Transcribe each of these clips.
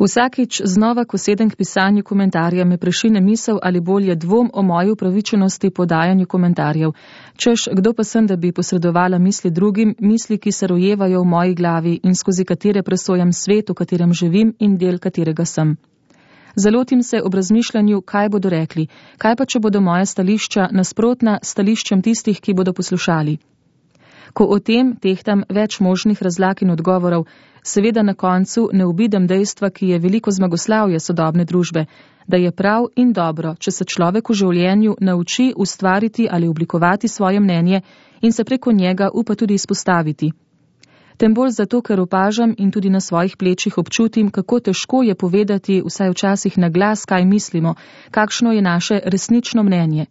Vsakič znova, ko sedem k pisanju komentarja, me prešine misel ali bolje dvom o moji upravičenosti podajanju komentarjev. Češ, kdo pa sem, da bi posredovala misli drugim, misli, ki se rojevajo v moji glavi in skozi katere presojam svet, v katerem živim in del katerega sem. Zalotim se ob razmišljanju, kaj bodo rekli, kaj pa, če bodo moja stališča nasprotna stališčem tistih, ki bodo poslušali. Ko o tem tehtam več možnih razlag in odgovorov, seveda na koncu ne obidem dejstva, ki je veliko zmagoslavje sodobne družbe, da je prav in dobro, če se človek v življenju nauči ustvariti ali oblikovati svoje mnenje in se preko njega upa tudi izpostaviti. Tem bolj zato, ker opažam in tudi na svojih plečih občutim, kako težko je povedati vsaj včasih na glas, kaj mislimo, kakšno je naše resnično mnenje.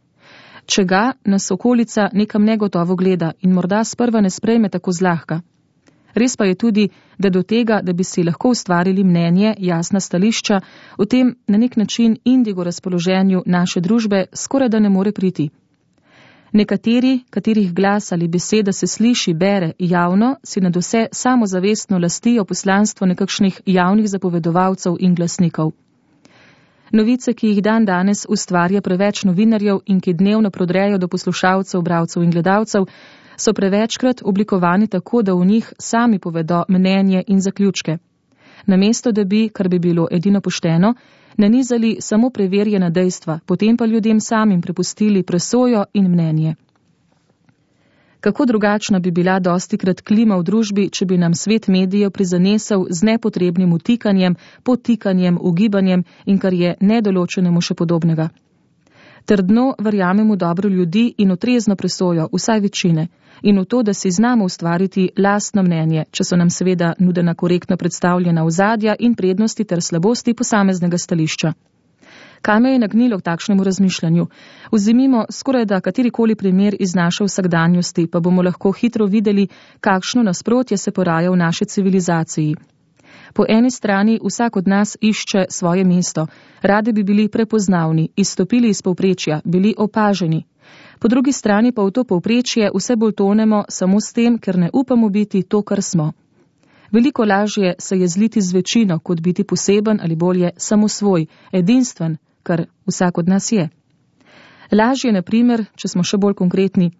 Če ga nas okolica nekam negotovo gleda in morda sprva ne sprejme tako zlahka. Res pa je tudi, da do tega, da bi si lahko ustvarili mnenje, jasna stališča, v tem na nek način indigo razpoloženju naše družbe skoraj da ne more priti. Nekateri, katerih glas ali beseda se sliši, bere javno, si nadvse samozavestno lastijo poslanstvo nekakšnih javnih zapovedovalcev in glasnikov. Novice, ki jih dan danes ustvarja preveč novinarjev in ki dnevno prodrejo do poslušalcev, bralcev in gledalcev, so prevečkrat oblikovani tako, da v njih sami povedo mnenje in zaključke. Namesto, da bi, kar bi bilo edino pošteno, nanizali samo preverjena dejstva, potem pa ljudem samim prepustili presojo in mnenje. Kako drugačna bi bila dostikrat klima v družbi, če bi nam svet medijev prizanesel z nepotrebnim vtikanjem, podtikanjem, ugibanjem in kar je nedoločenemu še podobnega. Trdno verjamem v dobro ljudi in utrezno presojo, vsaj večine, in v to, da si znamo ustvariti lastno mnenje, če so nam seveda nudena korektno predstavljena ozadja in prednosti ter slabosti posameznega stališča. Kaj me je nagnilo k takšnemu razmišljanju? Vzemimo skoraj da katerikoli primer iz naše vsakdanjosti, pa bomo lahko hitro videli, kakšno nasprotje se poraja v naši civilizaciji. Po eni strani vsak od nas išče svoje mesto, radi bi bili prepoznavni, izstopili iz povprečja, bili opaženi. Po drugi strani pa v to povprečje vse bolj tonemo samo s tem, ker ne upamo biti to, kar smo. Veliko lažje se je zliti z večino, kot biti poseben ali bolje samosvoj, edinstven, kar vsak od nas je. Lažje, na primer, če smo še bolj konkretni,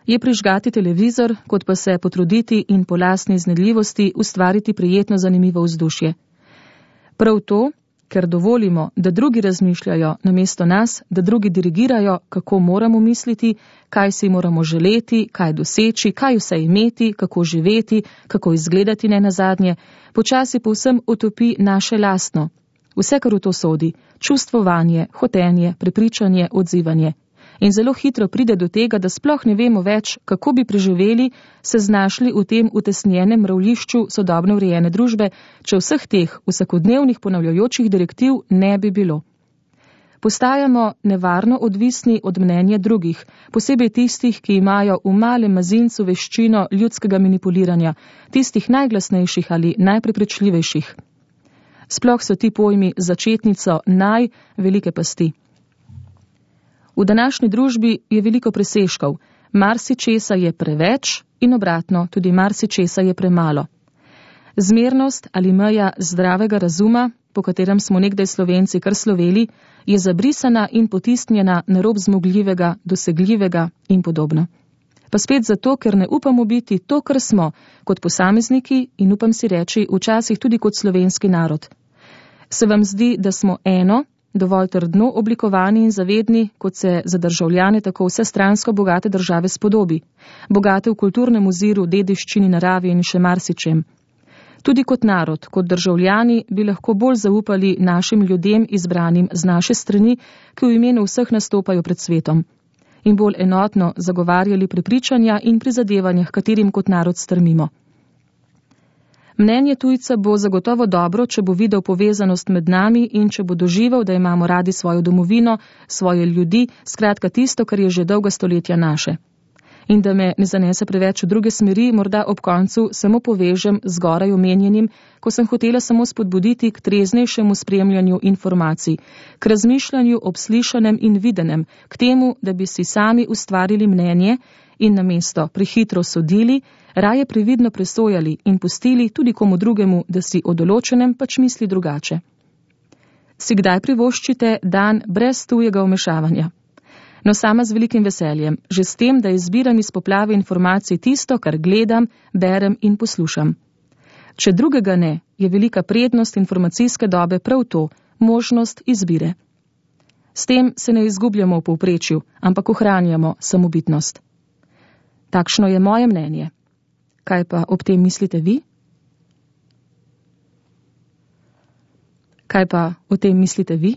je prižgati televizor, kot pa se potruditi in po lastni iznajdljivosti ustvariti prijetno zanimivo vzdušje. Prav to, ker dovolimo, da drugi razmišljajo namesto nas, da drugi dirigirajo, kako moramo misliti, kaj si moramo želeti, kaj doseči, kaj vse imeti, kako živeti, kako izgledati nenazadnje, počasi povsem utopi naše lastno. Vse, kar v to sodi, čustvovanje, hotenje, prepričanje, odzivanje. In zelo hitro pride do tega, da sploh ne vemo več, kako bi preživeli, se znašli v tem utesnjenem mravljišču sodobno urejene družbe, če vseh teh vsakodnevnih ponavljajočih direktiv ne bi bilo. Postajamo nevarno odvisni od mnenja drugih, posebej tistih, ki imajo v malem mazincu veščino ljudskega manipuliranja, tistih najglasnejših ali najprepričljivejših. Sploh so ti pojmi začetnico velike pasti. V današnji družbi je veliko presežkov, marsičesa je preveč in obratno, tudi marsičesa je premalo. Zmernost ali meja zdravega razuma, po katerem smo nekdaj Slovenci kar sloveli, je zabrisana in potisnjena na rob zmogljivega, dosegljivega in podobno. Pa spet zato, ker ne upamo biti to, kar smo, kot posamezniki in upam si reči, včasih tudi kot slovenski narod. Se vam zdi, da smo eno, dovolj trdno oblikovani in zavedni, kot se za državljane tako vsestransko bogate države spodobi, bogate v kulturnem oziru, dediščini, naravi in še marsičem. Tudi kot narod, kot državljani bi lahko bolj zaupali našim ljudem izbranim z naše strani, ki v imenu vseh nastopajo pred svetom, in bolj enotno zagovarjali prepričanja in prizadevanja, katerim kot narod strmimo. Mnenje tujca bo zagotovo dobro, če bo videl povezanost med nami in če bo doživel, da imamo radi svojo domovino, svoje ljudi, skratka tisto, kar je že dolga stoletja naše. In da me ne zanese preveč v druge smeri, morda ob koncu samo povežem zgoraj omenjenim, ko sem hotela samo spodbuditi k treznejšemu spremljanju informacij, k razmišljanju ob slišanem in videnem, k temu, da bi si sami ustvarili mnenje in namesto prehitro sodili, raje previdno presojali in pustili tudi komu drugemu, da si o določenem pač misli drugače. Si kdaj privoščite dan brez tujega vmešavanja? No, sama z velikim veseljem, že s tem, da izbiram iz poplave informacij tisto, kar gledam, berem in poslušam. Če drugega ne, je velika prednost informacijske dobe prav to, možnost izbire. S tem se ne izgubljamo v povprečju, ampak ohranjamo samobitnost. Takšno je moje mnenje. Kaj pa ob tem mislite vi? Kaj pa o tem mislite vi?